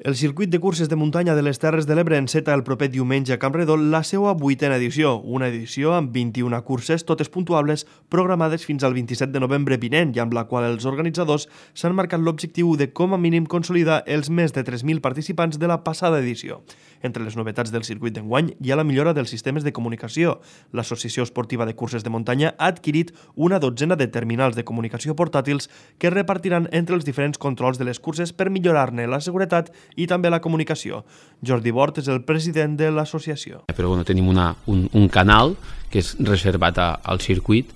El circuit de curses de muntanya de les Terres de l'Ebre enceta el proper diumenge a Campredon la seva 8a edició, una edició amb 21 curses, totes puntuables, programades fins al 27 de novembre vinent i amb la qual els organitzadors s'han marcat l'objectiu de com a mínim consolidar els més de 3.000 participants de la passada edició. Entre les novetats del circuit d'enguany hi ha la millora dels sistemes de comunicació. L'Associació Esportiva de Curses de Muntanya ha adquirit una dotzena de terminals de comunicació portàtils que es repartiran entre els diferents controls de les curses per millorar-ne la seguretat i també la comunicació. Jordi Bort és el president de l'associació. Però tenim un canal que és reservat al circuit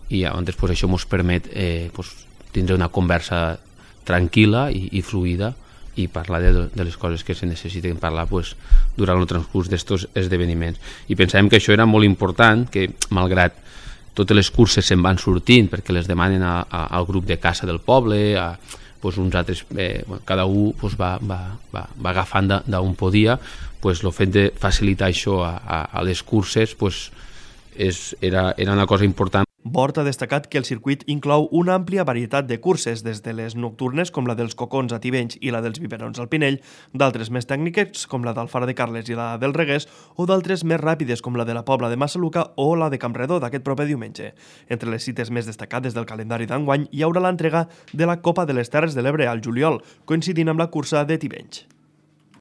i llavors això ens permet tindre una conversa tranquil·la i fluida i parlar de les coses que se necessiten parlar durant el transcurs d'aquests esdeveniments. I pensàvem que això era molt important, que malgrat totes les curses se'n van sortint perquè les demanen al grup de caça del poble, uns altres, cada un va agafant d'on podia, el fet de facilitar això a les curses era una cosa important. Bort ha destacat que el circuit inclou una àmplia varietat de curses, des de les nocturnes com la dels Cocons a Tivenys i la dels Biberons al Pinell, d'altres més tècniques com la d'Alfara de Carles i la del Reguers, o d'altres més ràpides com la de la Pobla de Massaluca o la de Campredó d'aquest proper diumenge. Entre les cites més destacades del calendari d'enguany hi haurà l'entrega de la Copa de les Terres de l'Ebre al juliol, coincidint amb la cursa de Tivenys.